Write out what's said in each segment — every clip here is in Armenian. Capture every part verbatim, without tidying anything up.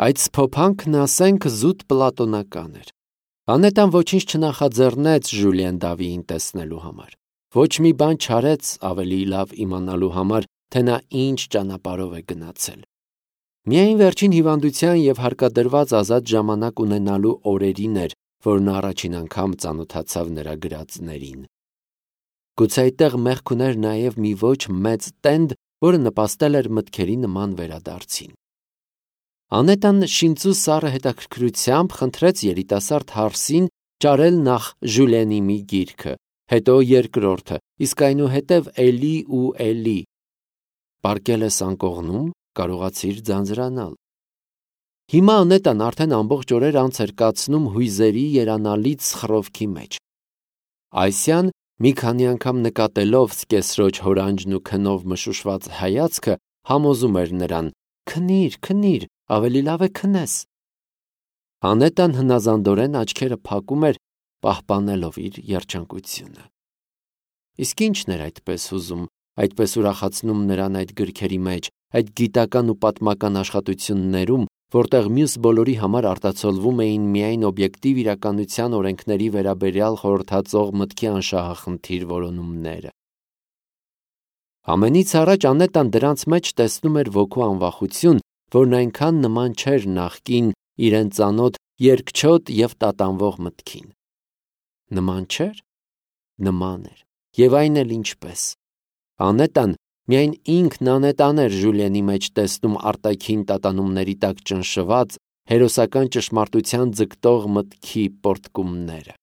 Այդ սփոփանքն ասենք զուտ պլատոնական էր։ Անետան ոչինչ չնախաձեռնեց Ժուլիեն Դավիին տեսնելու համար։ Ոչ մի բան չարեց ավելի լավ իմանալու համար, թե նա ինչ ճանապարհով է գնացել։ Միայն վերջին հիվանդության և հարկադրված ազատ ժամանակ ունենալու օրերին էր, որ նա առաջին անգամ ծանոթացավ նրա գրածներին։ Գուցե այդտեղ մեղք ուներ նաև մի ոչ մեծ տենդ, որը նպաստել էր մտքերի նման վերադարձին։ Անետան շինծու սառը հետաքրքրությամբ խնդրեց երիտասարդ հարսին ճարել նախ Ժուլիենի մի գիրքը, հետո երկրորդը, իսկ այնուհետև էլի ու էլի։ Պառկել ես անկողնում, կարողացիր ձանձրանալ։ Հիմա Անետան արդեն ամբողջ օրեր անց էր կացնում հույզերի երանալից խռովքի մեջ։ Այսյան մի քանի անգամ նկատելով սկեսրոջ հորանջն ու քնով մշուշված հայացքը, համոզում էր նրան. «Քնիր, քնիր, ավելի լավ է քնես»։ Անետան հնազանդորեն աչքերը փակում էր, պահպանելով իր երջանկությունը։ Իսկ ի՞նչն էր այդպես հուզում, այդպես ուրախացնում նրան այդ գրքերի մեջ, այդ գիտական ու պատմական աշխատություններում, որտեղ մյուս բոլորի համար արտացոլվում էին միայն օբյեկտիվ իրականության օրենքների վերաբերյալ խորհրդածող մտքի անշահախնդիր որոնումները։ Ամենից առաջ Անետան դրանց մեջ տեսնում էր ոգու անվախություն, որն այնքան նման չէր նախկին իրեն ծանոթ երկչոտ և տատանվող մտքին։ Նման չէր։ Նման էր, և այն էլ ինչպես։ Անետան միայն ինքն անետան էր Ժուլիենի մեջ տեսնում արտաքին տատանումների տակ ճնշված, հերոսական ճշմարտության ձգտող մտքի պոռթկումները։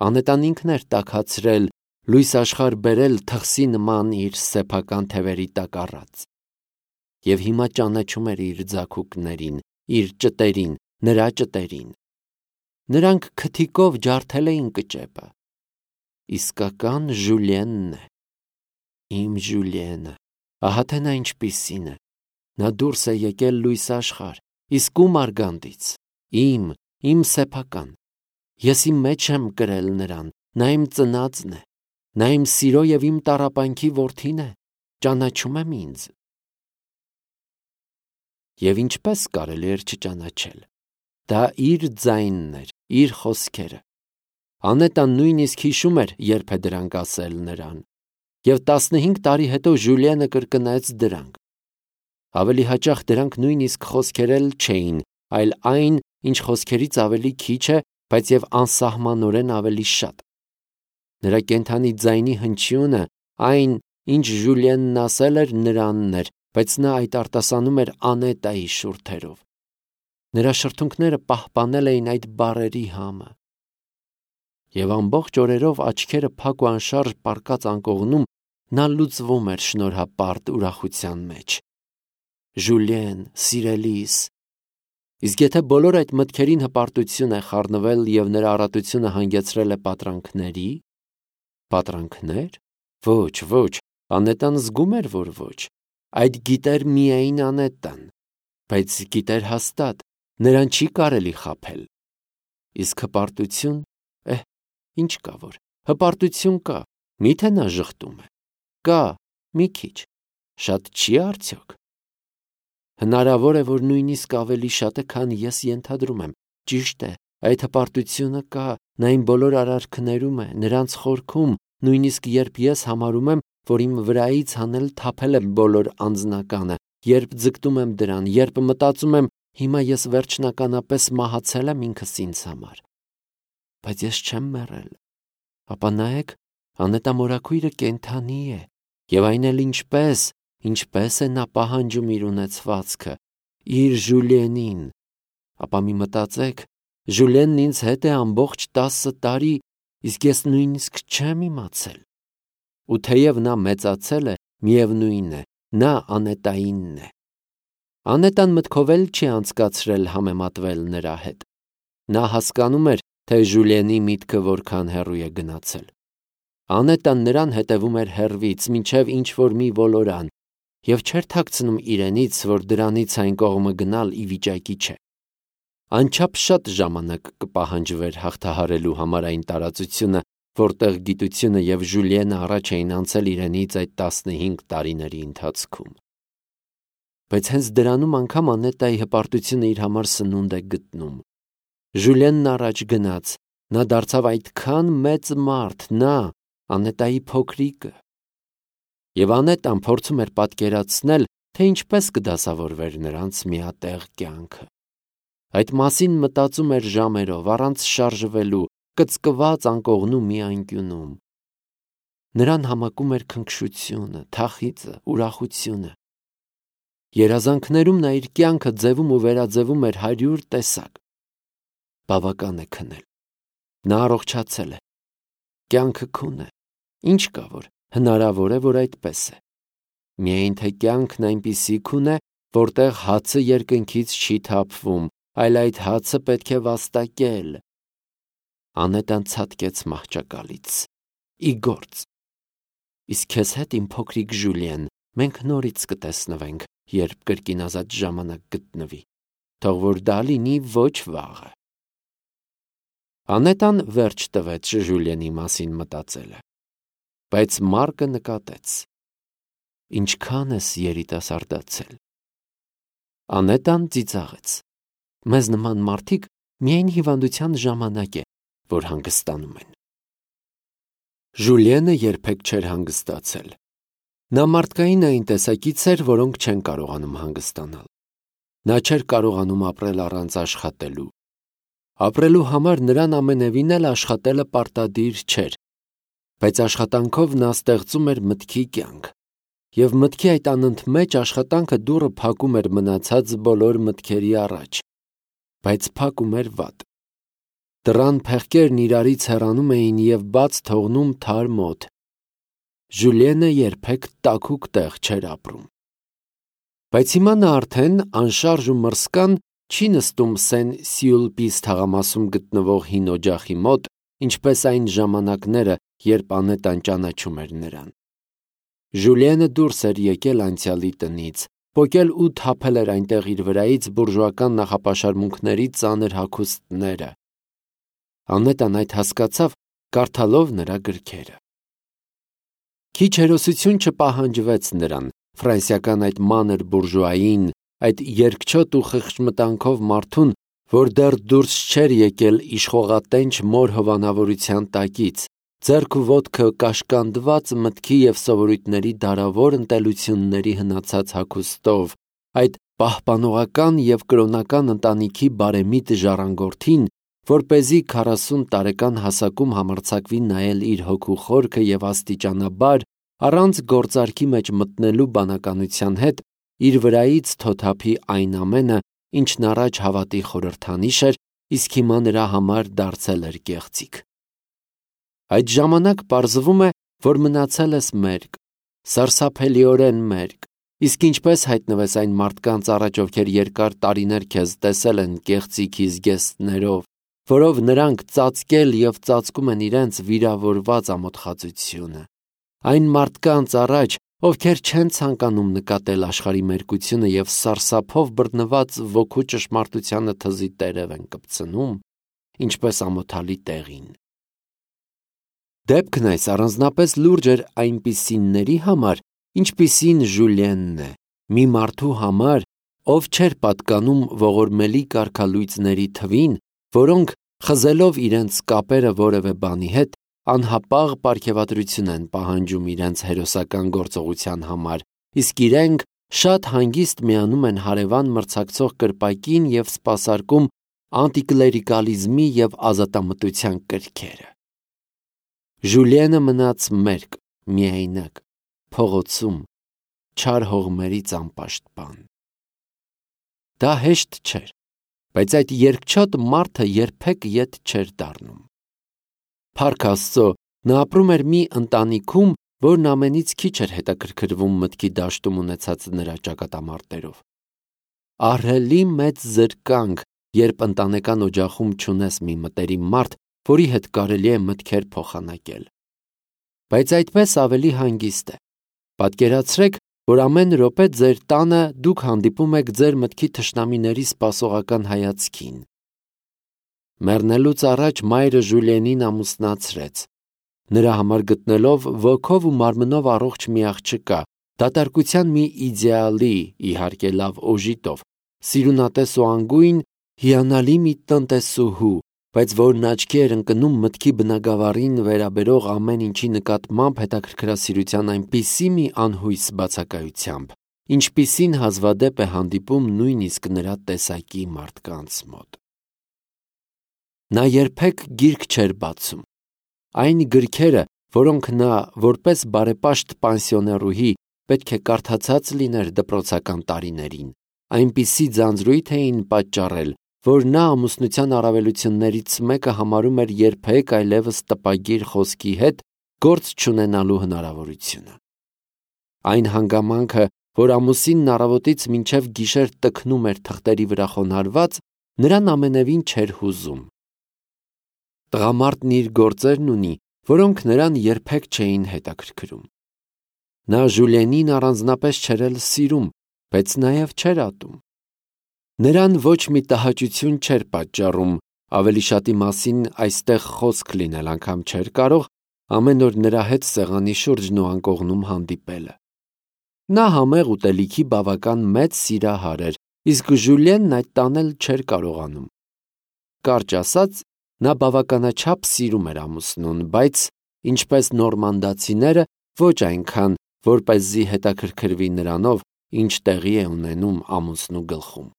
Անետան ինքն էր տաքացրել, լույս աշխարհ բերել թխսի նման իր սեփական թևերի տակ առած։ Եվ հիմա ճանաչում էր իր ձագուկներին, իր ճտերին, նրա ճտերին։ Նրանք քթիկով ջարդել էին կճեպը։ Իսկական Ժուլիենն է։ Իմ Ժուլիենը, ահա թե նա ինչպիսին է։ Նա դուրս է եկել լույս աշխարհ, իսկ ում արգանդից։ Իմ, իմ սեփական։ Ես իմ մեջ եմ կրել նրան, նա իմ ծնածն է։ Նա իմ սիրո և իմ տառապանքի որդին է, ճանաչում եմ ինձ։ Եվ ինչպես կարելի էր չճանաչել։ Դա իր ձայնն էր, իր խոսքերը։ Անետան նույնիսկ հիշում էր, երբ է դրանք ասել նրան։ Եվ տասնհինգ տարի հետո Ժուլիենը կրկնեց դրանք։ Ավելի հաճախ դրանք նույնիսկ խոսքեր էլ չէին, այլ այն, ինչ խոսքերից ավելի քիչ է, բայց և անսահմանորեն ավելի շատ։ Նրա կենդանի ձայնի հնչյունը, այն, ինչ Ժուլիենն ասել էր, նրանն էր, բայց նա այդ արտասանում էր Անետայի շուրթերով։ Նրա շրթունքները պահպանել էին այդ բառերի համը։ Եվ ամբողջ օրերով աչքերը փակ ու անշարժ պառկած անկողնում, նա լուծվում էր շնորհապարտ ուրախության մեջ։ Ժուլիեն, սիրելիս։ Իսկ եթե բոլոր այդ մտքերին հպարտություն է խառնվել և նրա առատությունը հանգեցրել է պատրանքների։ Պատրանքնե՞ր։ Ոչ, ոչ, Անետան զգում էր, որ ոչ։ Այդ գիտեր միայն Անետան, բայց գիտեր հաստատ, նրան չի կարելի խաբել։ Իսկ հպարտություն, էհ, ինչ կա որ, հպարտություն կա, միթե նա ժխտում է։ Կա, մի քիչ, շատ չի արդյոք։ Հնարավոր է, որ նույնիսկ ավելի շատ է, քան ես ենթադրում եմ։ Ճիշտ է, այդ հպարտությունը կա, նա իմ բոլոր արարքներում է, նրանց խորքում, նույնիսկ երբ ես համարում եմ, որ իմ վրայից հանել թափել եմ բոլոր անձնականը, երբ ձգտում եմ դրան, երբ մտածում եմ, հիմա ես վերջնականապես մահացել եմ ինքս ինձ համար։ Բայց ես չեմ մեռել։ Ապա նայեք, անետամորաքույրը կենդանի է, և այն էլ ինչպես, ինչպես է նա պահանջում իր ունեցվածքը, իր Ժուլիենին։ Ապա մի մտածեք, Ժուլիենն ինձ հետ է ամբողջ տասը տարի, իսկ ես նույնիսկ չեմ իմացել։ Ու թեև նա մեծացել է, միևնույն է, նա Անետայինն է։ Անետան մտքով էլ չի անցկացրել համեմատվել նրա հետ։ Նա հասկանում էր, թե Ժուլիենի միտքը որքան հեռու է գնացել։ Անետան նրան հետևում էր հեռվից, մինչև ինչ-որ մի ոլորան, և չէր թաքցնում իրենից, որ դրանից այն կողմը գնալ ի վիճակի չէ։ Անչափ շատ ժամանակ կպահանջվեր հաղթահարելու համար այն տարածությունը, որտեղ գիտությունը և Ժուլիենը առաջ էին անցել իրենից այդ տասնհինգ տարիների ընթացքում։ բայց հենց դրանում անգամ Անետայի հպարտությունը իր համար սնունդ է գտնում։ Ժուլիենն առաջ գնաց, նա դարձավ այդքան մեծ մարդ, նա, Անետայի փոքրիկը։ Եվ Անետան փորձում էր պատկերացնել, թե ինչպես կդասավորվեր նրանց միատեղ կյանքը։ Այդ մասին մտածում էր ժամերով, առանց շարժվելու, կծկված անկողնու մի անկյունում։ Նրան համակում էր քնքշությունը, թախիծը, ուրախությունը։ Երազանքներում նա իր կյանքը ձևում ու վերաձևում էր հարյուր տեսակ։ Բավական է քնել։ Նա առողջացել է։ Կյանքը քուն է։ Ինչ կա որ, հնարավոր է, որ այդպես է։ Միայն թե կյանքն այնպիսի քուն է, որտեղ հացը երկնքից չի թափվում, այլ այդ հացը պետք է վաստակել։ Անետան ցատկեց մահճակալից։ Ի գործ։ Իսկ քեզ հետ, իմ փոքրիկ Ժուլիեն, մենք նորից կտեսնվենք, երբ կրկին ազատ ժամանակ գտնվի։ Թող որ դա լինի ոչ վաղը։ Անետան վերջ տվեց Ժուլիենի մասին մտածելը։ Բայց Մարկը նկատեց. ինչքան ես երիտասարդացել։ Անետան ծիծաղեց. մեզ նման մարդիկ միայն հիվանդության ժամանակ է, որ հանգստանում են։ Ժուլիենը երբեք չէր հանգստացել։ Նա մարդկային այն տեսակից էր, որոնք չեն կարողանում հանգստանալ։ Նա չէր կարողանում ապրել առանց աշխատելու։ Ապրելու համար նրան ամենևին էլ աշխատելը պարտադիր չէր, բայց աշխատանքով նա ստեղծում էր մտքի կյանք, և մտքի այդ անընդմեջ աշխատանքը դուռը փակում էր մնացած բոլոր մտքերի առաջ, բայց փակում էր վատ։ Դռան փեղկերն իրարից հեռանում էին և բաց թողնում թարմ օդ։ Ժուլիենը երբեք տաքուկ տեղ չէր ապրում։ Բայց հիմա նա արդեն անշարժ ու մռսկան չի նստում Սեն-Սյուլպիս թաղամասում գտնվող հին օջախի մոտ, ինչպես այն ժամանակները, երբ Անետան ճանաչում էր նրան։ Ժուլիենը դուրս էր եկել անցյալի տնից, պոկել ու թափել էր այնտեղ իր վրայից բուրժուական նախապաշարմունքների ծանր հագուստները։ Անետան այդ հասկացավ, կարդալով նրա գրքերը։ Քիչ հերոսություն չպահանջվեց նրան, ֆրանսիական այդ մանր բուրժուային, այդ երկչոտ ու խղճմտանքով մարդուն, որ դեռ դուրս չէր եկել իշխողատենչ մոր հովանավորության տակից, ձեռք ու ոտքը կաշկանդված մտքի և սովորույթների դարավոր ընտելությունների հնացած հագուստով, այդ պահպանողական և կրոնական ընտանիքի բարեմիտ ժառանգորդին, որպեսզի քառասուն տարեկան հասակում համարձակվի նայել իր հոգու խորքը և աստիճանաբար, առանց գործարքի մեջ մտնելու բանականության հետ, իր վրայից թոթափի այն ամենը, ինչն առաջ հավատի խորհրդանիշ էր, իսկ հիմա նրա համար դարձել էր կեղծիք։ Այդ ժամանակ պարզվում է, որ մնացել ես մերկ, սարսափելիորեն մերկ, իսկ ինչպես հայտնվես այն մարդկանց առաջ, ովքեր երկար տարիներ քեզ տեսել են կեղծիքի զգեստներով, որով նրանք ծածկել և ծածկում են իրենց վիրավորված ամոթխածությունը, այն մարդկանց առաջ, ովքեր չեն ցանկանում նկատել աշխարհի մերկությունը և սարսափով բռնված ոգու ճշմարտությանը թզի տերև են կպցնում, ինչպես ամոթալի տեղին։ Դեպքն այս առանձնապես լուրջ էր այնպիսիների համար, ինչպիսին Ժուլիենն է, մի մարդու համար, ով չէր պատկանում ողորմելի կարգալույծների թվին, որոնք, խզելով իրենց կապերը որևէ բանի հետ, անհապաղ պարգևատրություն են պահանջում իրենց հերոսական գործողության համար, իսկ իրենք շատ հանգիստ միանում են հարևան մրցակցող կրպակին և սպասարկում անտիկլերիկալիզմի և ազատամտության կրքերը։ Ժուլիենը մնաց մերկ, միայնակ, փողոցում, չար հողմերից անպաշտպան։ Դա հեշտ չէր, բայց այդ երկչոտ մարդը երբեք ետ չէր դառնում։ Փառք Աստծո, նա ապրում էր մի ընտանիքում, որն ամենից քիչ էր հետաքրքրվում մտքի դաշտում ունեցած նրա ճակատամարտերով։ Ահռելի մեծ զրկանք, երբ ընտանեկան օջախում չունես մի մտերիմ մարդ, որի հետ կարելի է մտքեր փոխանակել։ Բայց այդպես ավելի հանգիստ է։ Պատկերացրեք, որ ամեն րոպե ձեր տանը դուք հանդիպում եք ձեր մտքի թշնամիների սպասողական հայացքին։ Մեռնելուց առաջ մայրը Ժուլիենին ամուսնացրեց, նրա համար գտնելով ոգով ու մարմնով առողջ մի աղջկա, Դատարկության մի իդեալի, իհարկե լավ օժիտով, սիրունատես ու անգույն, հիանալի մի տնտեսուհու, բայց որն աչքի էր ընկնում մտքի բնագավառին վերաբերող ամեն ինչի նկատմամբ հետաքրքրասիրության այնպիսի մի անհույս բացակայությամբ, ինչպիսին հազվադեպ է հանդիպում նույնիսկ նրա տեսակի մարդկանց մոտ։ Նա երբեք գիրք չէր բացում։ Այն գրքերը, որոնք նա որպես բարեպաշտ պանսիոներուհի պետք է կարդացած լիներ դպրոցական տարիներին, այնպիսի ձանձրույթ էին պատճառել, որ նա ամուսնության առավելություններից մեկը համարում էր երբեք այլևս տպագիր խոսքի հետ գործ չունենալու հնարավորությունը։ Այն հանգամանքը, որ ամուսինն առավոտից մինչև գիշեր տքնում էր թղթերի վրա խոնարհված, նրան ամենևին չէր հուզում։ Տղամարդն իր գործերն ունի, որոնք նրան երբեք չէին հետաքրքրում։ Նա Ժուլիենին առանձնապես չէր էլ սիրում, բայց նաև չէր ատում։ Նրան ոչ մի տհաճություն չէր պատճառում, ավելի շատի մասին այստեղ խոսք լինել անգամ չէր կարող, ամեն օր նրա հետ սեղանի շուրջն ու անկողնում հանդիպելը։ Նա համեղ ուտելիքի բավական մեծ սիրահար էր, իսկ Ժուլիենն այդ տանել չէր կարողանում։ Կարճ ասած, նա բավականաչափ սիրում էր ամուսնուն, բայց, ինչպես նորմանդացիները, ոչ այնքան, որպեսզի հետաքրքրվի նրանով, ինչ տեղի է ունենում ամուսնու գլխում։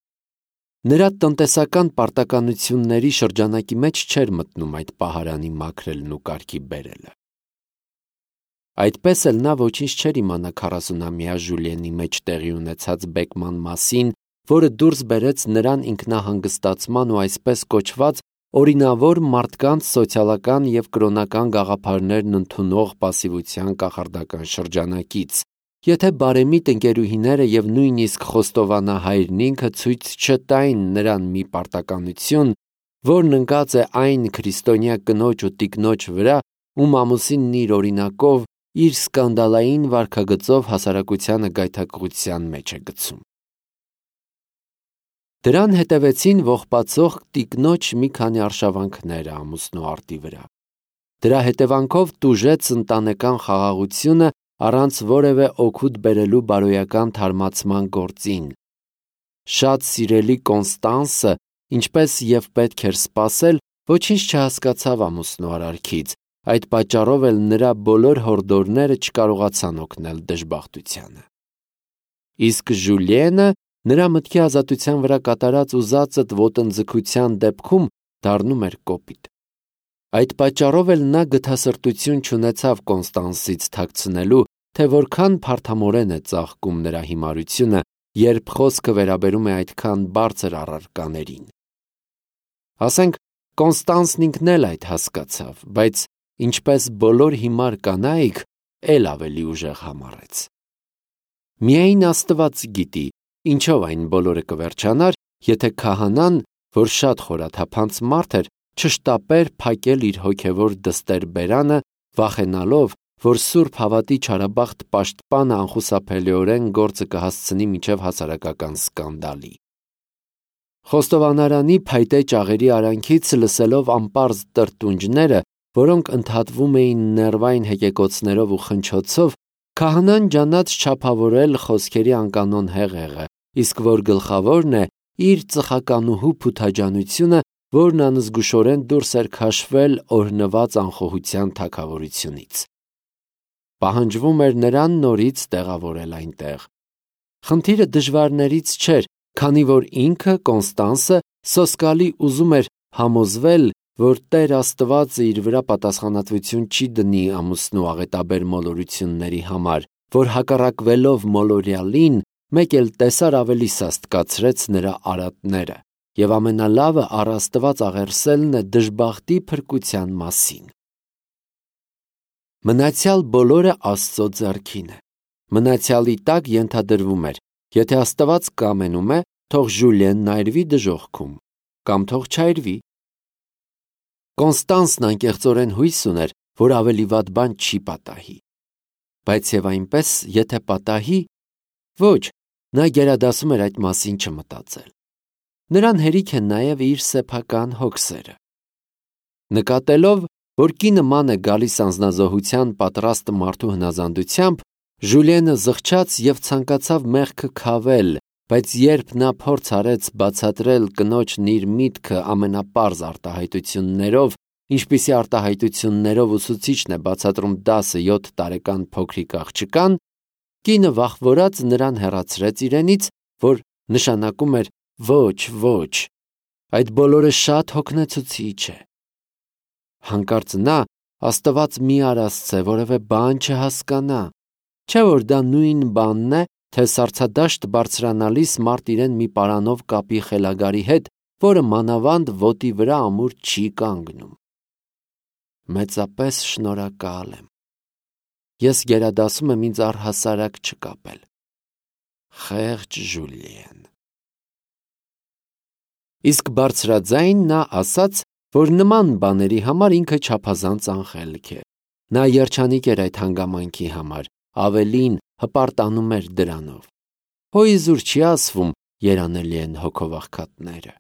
Նրա տնտեսական պարտականությունների շրջանակի մեջ չէր մտնում այդ պահարանի մաքրելն ու կարգի բերելը։ Այդպես էլ նա ոչինչ չէր իմանա քառասունամյա Ժուլիենի մեջ տեղի ունեցած բեկման մասին, որը դուրս բերեց նրան ինքնահանգստացման ու այսպես կոչված օրինավոր մարդկանց սոցիալական և կրոնական գաղափարներն ընդունող պասիվության կախարդական շրջանակից, եթե բարեմիտ ընկերուհիները և նույնիսկ խոստովանահայրն ինքը ցույց չտային նրան մի պարտականություն, որն ընկած է այն քրիստոնյա կնոջ ու տիկնոջ վրա, ում ամուսինն իր օրինակով, իր սկանդալային վարքագծով հասարակությանը գայթակղության մեջ է գցում։ Դրան հետևեցին ողբացող տիկնոջ մի քանի արշավանքները ամուսնու արտի վրա։ Դրա հետևանքով տուժեց ընտանեկան խաղաղությունը առանց որևէ օգուտ բերելու բարոյական թարմացման գործին։ Շատ սիրելի Կոնստանսը, ինչպես և պետք էր սպասել, ոչինչ չհասկացավ ամուսնու արարքից, այդ պատճառով էլ նրա բոլոր հորդորները չկարողացան օգնել դժբախտությանը։ Իսկ Ժուլիենը նրա մտքի ազատության վրա կատարած ուզածդ ոտնձգության դեպքում դառնում էր կոպիտ։ Այդ պատճառով էլ նա գթասրտություն չունեցավ Կոնստանսից թաքցնելու, թե որքան փարթամորեն է ծաղկում նրա հիմարությունը, երբ խոսքը վերաբերում է այդքան բարձր առարկաներին։ Ասենք, Կոնստանսն ինքն էլ այդ հասկացավ, բայց ինչպես բոլոր հիմար կանայք, էլ ավելի ուժեղ համառեց։ Միայն Աստված գիտի, ինչով այն բոլորը կվերջանար, եթե քահանան, որ շատ խորաթափանց մարդ էր, չշտապեր փակել իր հոգևոր դստեր բերանը, վախենալով, որ սուրբ հավատի չարաբախտ պաշտպանը անխուսափելիորեն գործը կհասցնի մինչև հասարակական սկանդալի։ Խոստովանարանի փայտե ճաղերի արանքից լսելով անպարզ տրտունջները, որոնք ընդհատվում էին ներվային հեկեկոցներով ու խնչոցով, քահանան ջանաց չափավորել խոսքերի անկանոն հեղեղը, իսկ որ գլխավորն է, իր ծխականուհու փութաջանությունը, որն անզգուշորեն դուրս էր քաշվել օրհնված անխոհության թագավորությունից։ Պահանջվում էր նրան նորից տեղավորել այնտեղ։ Խնդիրը դժվարներից չէր, քանի որ ինքը Կոնստանսը սոսկալի ուզում էր համոզվել, որ Տեր Աստված իր վրա պատասխանատվություն չի դնի ամուսնու աղետաբեր մոլորությունների համար, որ հակառակվելով մոլորյալին, մեկ էլ տեսար ավելի սաստկացրեց նրա արատները, և ամենալավը առ Աստված աղերսելն է դժբախտի փրկության մասին։ Մնացյալ բոլորը Աստծո ձեռքին է։ Մնացյալի տակ ենթադրվում էր, եթե Աստված կամենում է, թող Ժուլիենն այրվի դժոխքում, կամ թող չայրվի։ Կոնստանսն անկեղծորեն հույս ուներ, որ ավելի վատ բան չի պատահի։ Բայց և այնպես, եթե պատահի, ոչ, նա գերադասում էր այդ մասին չմտածել։ Նրան հերիք է նաև իր սեփական հոգսերը։ Նկատելով, որ կինը ման է գալիս անձնազոհության պատրաստ մարդու հնազանդությամբ, Ժուլիենը զղջաց և ցանկացավ մեղքը քավել, բայց երբ նա փորձ արեց բացատրել կնոջն իր միտքը ամենապարզ արտահայտություններով, ինչպիսի արտահայտություններով ուսուցիչն է բացատրում դասը յոթ տարեկան փոքրիկ աղջկան, կինը վախվորած նրան հեռացրեց իրենից, որ նշանակում էր ոչ, ոչ, այդ բոլորը շատ հոգնեցուցիչ է։ Հանկարծ նա Աստված մի արասցե որևէ բան չհասկանա, չէ՞ որ դա նույն բանն է, թե սառցադաշտ բարձրանալիս մարդ իրեն մի պարանով կապի խելագարի հետ, որը մանավանդ ոտի վրա ամուր չի կանգնում։ Մեծապես շնորհակալ եմ։ Ես գերադասում եմ ինձ առհասարակ չկապել։ Խեղճ Ժուլիեն։ Իսկ բարձրաձայն նա ասաց, որ նման բաների համար ինքը չափազանց անխելք է։ Նա երջանիկ էր այդ հանգամանքի համար, ավելին հպարտանում էր դրանով։ Հոիզուր չի ասվում, երանելի են հոգով աղքատները։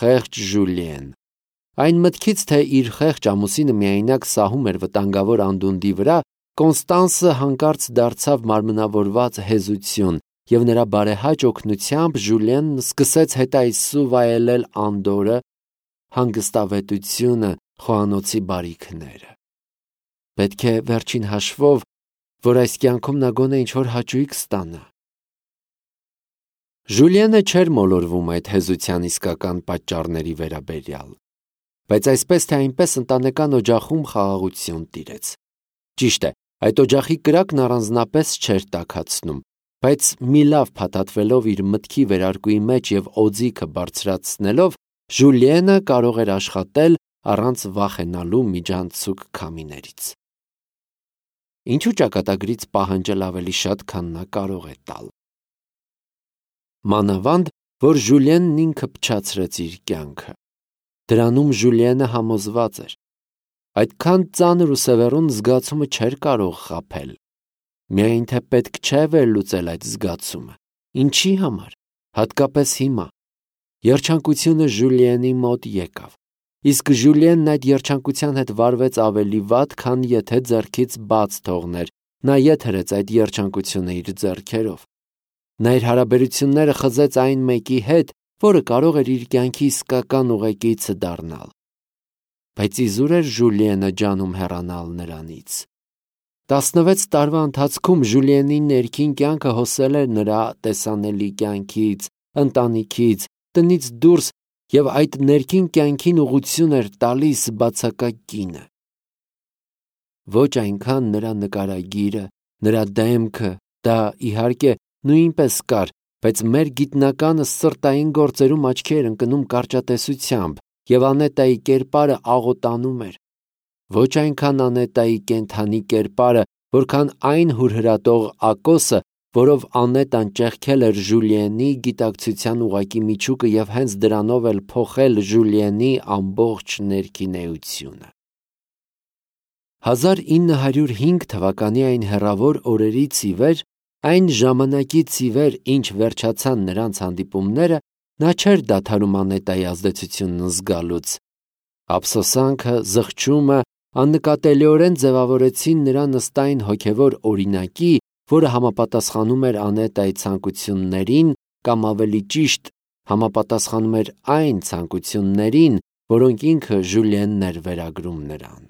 Խեղճ Ժուլիեն։ Այն մտքից, թե իր խեղճ ամուսինը միայնակ սահում էր վտանգավոր անդունդի վրա, Կոնստանսը հանկարծ դարձավ մարմնավորված հեզություն, և նրա բարեհաճ օգնությամբ Ժուլիենն սկսեց հետայսու վայելել անդորրը, հանգստավետությունը, խոհանոցի բարիքները։ Պետք է վերջին հաշվով, որ այս կյանքում նա գոնե ինչ-որ հաճույք ստանա։ Ժուլիենը չէր մոլորվում այդ հեզության իսկական պատճառների վերաբերյալ, բայց այսպես թե այնպես ընտանեկան օջախում խաղաղություն տիրեց։ Ճիշտ է, այդ օջախի կրակն առանձնապես չէր տաքացնում, բայց մի լավ փաթաթվելով իր մտքի վերարկուի մեջ և օձիքը բարձրացնելով, Ժուլիենը կարող էր աշխատել առանց վախենալու միջանցիկ քամիներից։ Ինչու ճակատագրից պահանջել ավելի շատ, քան նա կարող է տալ։ Մանավանդ, որ Ժուլիենն ինքը փչացրեց իր կյանքը։ Դրանում Ժուլիենը համոզված էր։ Այդքան ծանր ու սևեռուն զգացումը չէր կարող խաբել։ Միայն թե պետք չէ վերլուծել այդ զգացումը։ Ինչի համար, հատկապես հիմա։ Երջանկությունը Ժուլիենի մոտ եկավ։ Իսկ Ժուլիենն այդ երջանկության հետ վարվեց ավելի վատ, քան եթե ձեռքից բաց թողներ, նա ետ հրեց այդ երջանկությունը իր ձեռքերով։ Նա իր հարաբերությունները խզեց այն մեկի հետ, որը կարող էր իր կյանքի իսկական ուղեկիցը դառնալ։ Բայց իզուր էր Ժուլիենը ջանում հեռանալ նրանից։ Տասնվեց տարվա ընթացքում Ժուլիենի ներքին կյանքը հոսել էր նրա տեսանելի կյանքից, ընտանիքից, տնից դուրս, և այդ ներքին կյանքին ուղղություն էր տալիս բացակա կինը։ Ոչ այնքան նրա նկարագիրը, նրա դեմքը, դա, իհարկե, նույնպես կար, բայց մեր գիտնականը սրտային գործերում աչքի էր ընկնում կարճատեսությամբ, և Անետայի կերպարը աղոտանում էր։ Ոչ այնքան Անետայի կենդանի կերպարը, որքան այն հուրհրատող ակոսը, որով Անետան ճեղքել էր Ժուլիենի գիտակցության ուղղակի միջուկը և հենց դրանով էլ փոխել Ժուլիենի ամբողջ ներքին էությունը։ հազար ինը հարյուր հինգ թվականի այն հեռավոր օրերից ի վեր, այն ժամանակից ի վեր, ինչ վերջացան նրանց հանդիպումները, նա չէր դադարում Անետայի ազդեցությունն զգալուց։ Ափսոսանքը, զղջումը աննկատելիորեն ձևավորեցին նրա նստային հոգևոր օրինակի, որը համապատասխանում էր Անետայի ցանկություններին, կամ ավելի ճիշտ, համապատասխանում էր այն ցանկություններին, որոնք ինքը Ժուլիենն էր վերագրում նրան։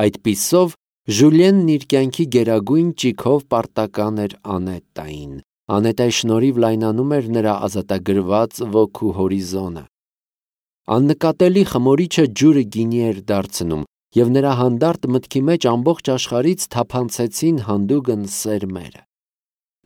Այդպիսով Ժուլիենն իր կյանքի գերագույն ճիգով պարտական էր Անետային։ Անետայի շնորհիվ լայնանում էր նրա ազատագրված ոգու հորիզոնը։ Աննկատելի խմորիչը ջուրը գինի էր դարձնում, և նրա հանդարտ մտքի մեջ ամբողջ աշխարհից թափանցեցին հանդուգն սերմերը։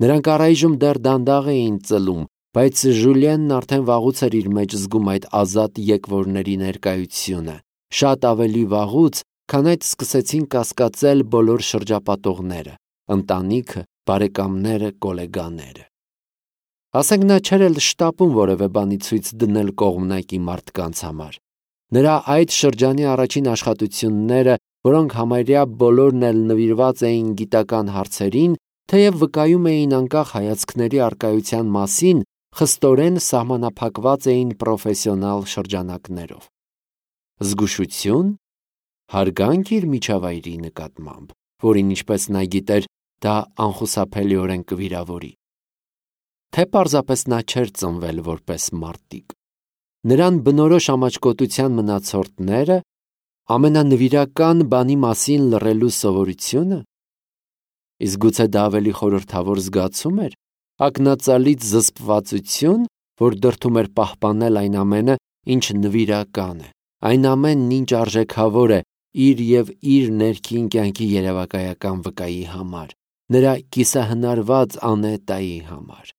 Նրանք առայժմ դեռ դանդաղ էին ծլում, բայց Ժուլիենն արդեն վաղուց էր իր մեջ զգում այդ ազատ եկվորների ներկայությունը, շատ ավելի վաղուց, քան այդ սկսեցին կասկածել բոլոր շրջապատողները, ընտանիքը, բարեկամները, գոլեգաները։ Ասենք նա չէր էլ շտապում որևէ բանի ցույց դնել կողմնակի մարդկանց համար։ Նրա այդ շրջանի առաջին աշխատությունները, որոնք համարյա բոլորն էլ նվիրված էին գիտական հարցերին, թեև վկայում էին անկախ հայացքների առկայության մասին, խստորեն սահմանափակված էին պրոֆեսիոնալ շրջանակներով։ Զգուշություն, հարգանք իր միջավայրի նկատմամբ, որին ինչպես նա գիտեր, դա անխուսափելիորեն կվիրավորի։ Թե պարզապես նա չէր ծնվել որպես մարտիկ։ Նրան բնորոշ ամաչկոտության մնացորդները, ամենանվիրական բանի մասին լռելու սովորությունը, իսկ գուցե դա ավելի խորհրդավոր զգացում էր, ակնածալից զսպվածություն, որ դրդում էր պահպանել այն ամենը, ինչ նվիրական է, այն ամենն, ինչ արժեքավոր է իր և իր ներքին կյանքի երևակայական վկայի համար, նրա կիսահնարված անետայի համար։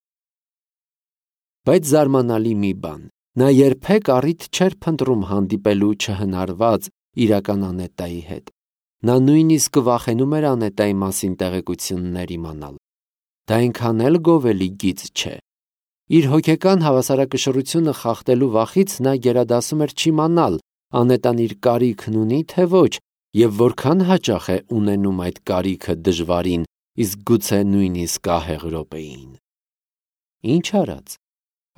Բայց զարմանալի մի բան, նա երբեք առիթ չէր փնտրում հանդիպելու չհնարված իրական անետայի հետ։ Նա նույնիսկ վախենում էր անետայի մասին տեղեկություններ իմանալ։ Դա այնքան էլ գովելի գիծ չէ։ Իր հոգեկան հավասարակշռությունը խախտելու վախից նա գերադասում էր չիմանալ անետան իր կարիքն ունի, թե ոչ, և որքան հաճախ է ունենում այդ կարիքը դժվարին, իսկ գուցե նույնիսկ ահեղ րոպեին։ Ինչ արած,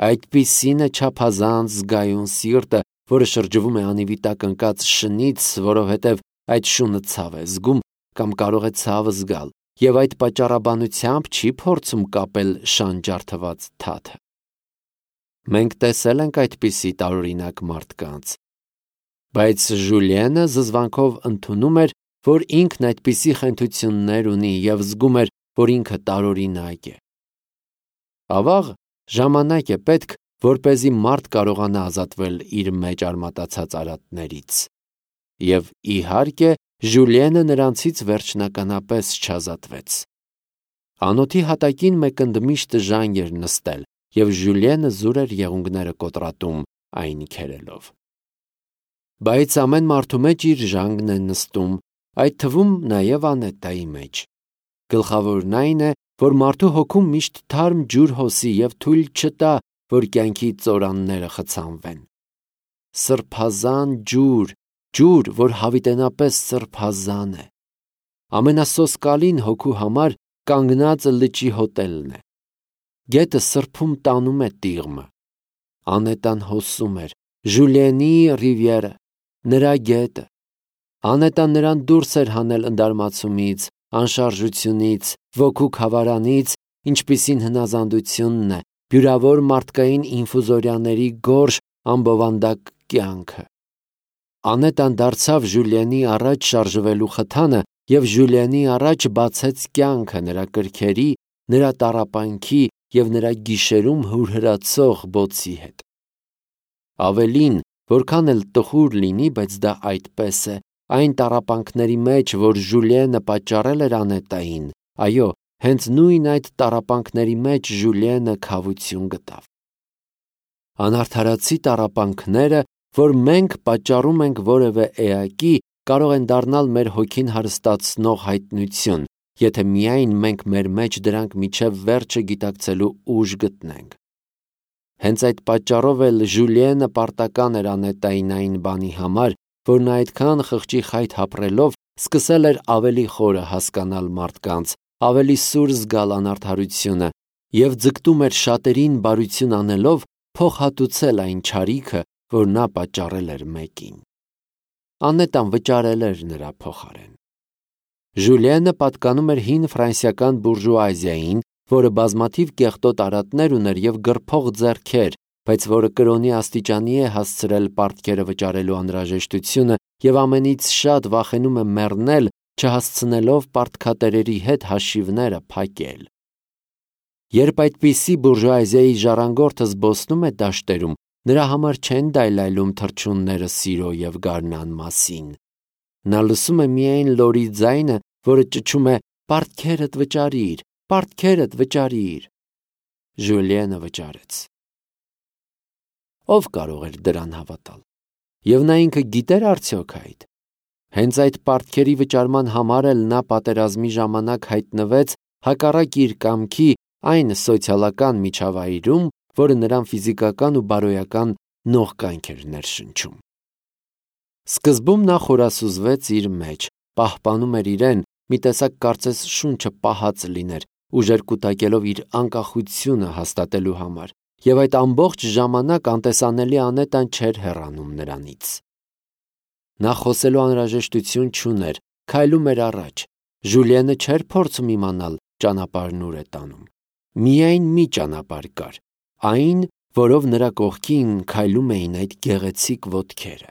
այդպիսին է չափազանց զգայուն սիրտը, որը շրջվում է անիվիտակ ընկած շնից, որովհետև այդ շունը ցավ է զգում կամ կարող է ցավը զգալ, և այդ պատճառաբանությամբ չի փորձում կապել շանջարդված թաթը։ Մենք տեսել ենք այդպիսի տարօրինակ մարդկանց, բայց Ժուլիենը զզվանքով ընդունում էր, որ ինքն այդպիսի խենթություններ ունի և զգում էր, որ ինքը տարօրինակ է։ Ավաղ, ժամանակ է պետք, որպեսզի մարդ կարողանա ազատվել իր մեջ արմատացած արատներից։ Եվ իհարկե, Ժուլիենը նրանցից վերջնականապես չազատվեց։ Անոթի հատակին մեկ ընդմիշտ ժանգ էր նստել, և Ժուլիենը զուր էր եղունգները կոտրատում այն քերելով։ Բայց ամեն մարդու մեջ իր ժանգն է նստում, այդ թվում նաև Անետայի մեջ։ Գլխավորն այն է, որ մարդու հոգում միշտ թարմ ջուր հոսի և թույլ չտա, որ կյանքի ծորանները խցանվեն։ Սրբազան ջուր, ջուր, որ հավիտենապես սրբազան է։ Ամենասոսկալին հոգու համար կանգնածը լճի հոտելն է։ Գետը սրբում տանում է տիղմը։ Անետան հոսում էր, Ժուլիենի ռիվիերը, նրա գետը։ Անետան նրան դուրս էր հանել ընդարմացումից, անշարժությունից, ոգու քավարանից, ինչպիսին հնազանդությունն է, բյուրավոր մարդկային ինֆուզորիաների գորշ ամբովանդակ կյանքը։ Անետան դարձավ Ժուլիենի առաջ շարժվելու խթանը և Ժուլիենի առաջ բացեց կյանքը նրա կրքերի, նրա տառապանքի և նրա գիշերում հուրհրացող բոցի հետ։ Ավելին, որքան էլ տխուր լինի, բայց դա այդպես է, այն տառապանքների մեջ, որ Ժուլիենը պատճառել էր Անետային, այո, հենց նույն այդ տառապանքների մեջ Ժուլիենը քավություն գտավ։ Անարդարացի տառապանքները, որ մենք պատճառում ենք որևէ էակի, կարող են դառնալ մեր հոգին հարստացնող հայտնություն, եթե միայն մենք մեր մեջ դրանք մինչև վերջը գիտակցելու ուժ գտնենք։ Հենց այդ պատճառով էլ Ժուլիենը պարտական էր Անետային այն բանի համար, որ նա այդքան խղճի խայթ ապրելով սկսել էր ավելի խորը հասկանալ մարդկանց, ավելի սուր զգալ անարդարությունը և ձգտում էր շատերին բարություն անելով փոխհատուցել այն չարիքը, որ նա պատճառել էր մեկին։ Անետան վճարել էր նրա փոխարեն։ Ժուլիենը պատկանում էր հին ֆրանսիական բուրժուազիային, որը բազմաթիվ կեղտոտ արատներ ուներ և գրփող ձեռքեր, բայց որը կրոնի աստիճանի է հասցրել պարտքերը վճարելու անհրաժեշտությունը և ամենից շատ վախենում է մեռնել, չհասցնելով պարտքատերերի հետ հաշիվները փակել։ Երբ այդպիսի բուրժուազիայի ժառանգորդը զբոսնում է դաշտերում, նրա համար չեն դայլայլում թռչունները սիրո և գարնան մասին։ Նա լսում է միայն լորի ձայնը, որը ճչում է «Պարտքերդ վճարիր, պարտքերդ վճարիր»։ Ժուլիենը վճարեց։ Ո՞վ կարող էր դրան հավատալ։ Եվ նա ինքը գիտեր արդյոք այդ։ Հենց այդ պարտքերի վճարման համար էլ նա պատերազմի ժամանակ հայտնվեց հակառակ իր կամքի այն սոցիալական միջավայրում, որը նրան ֆիզիկական ու բարոյական նողկանք էր ներշնչում։ Սկզբում նա խորասուզվեց իր մեջ, պահպանում էր իրեն, մի տեսակ կարծես շունչը պահած լիներ, ուժեր կուտակելով իր անկախությունը հաստատելու համար, և այդ ամբողջ ժամանակ անտեսանելի Անետան չէր հեռանում նրանից։ Նա խոսելու անհրաժեշտություն չուներ, քայլում էր առաջ, Ժուլիենը չէր փորձում իմանալ ճանապարհն ուր է տանում։ Միայն մի ճանապարհ կար, այն, որով նրա կողքին քայլում էին այդ գեղեցիկ ոտքերը։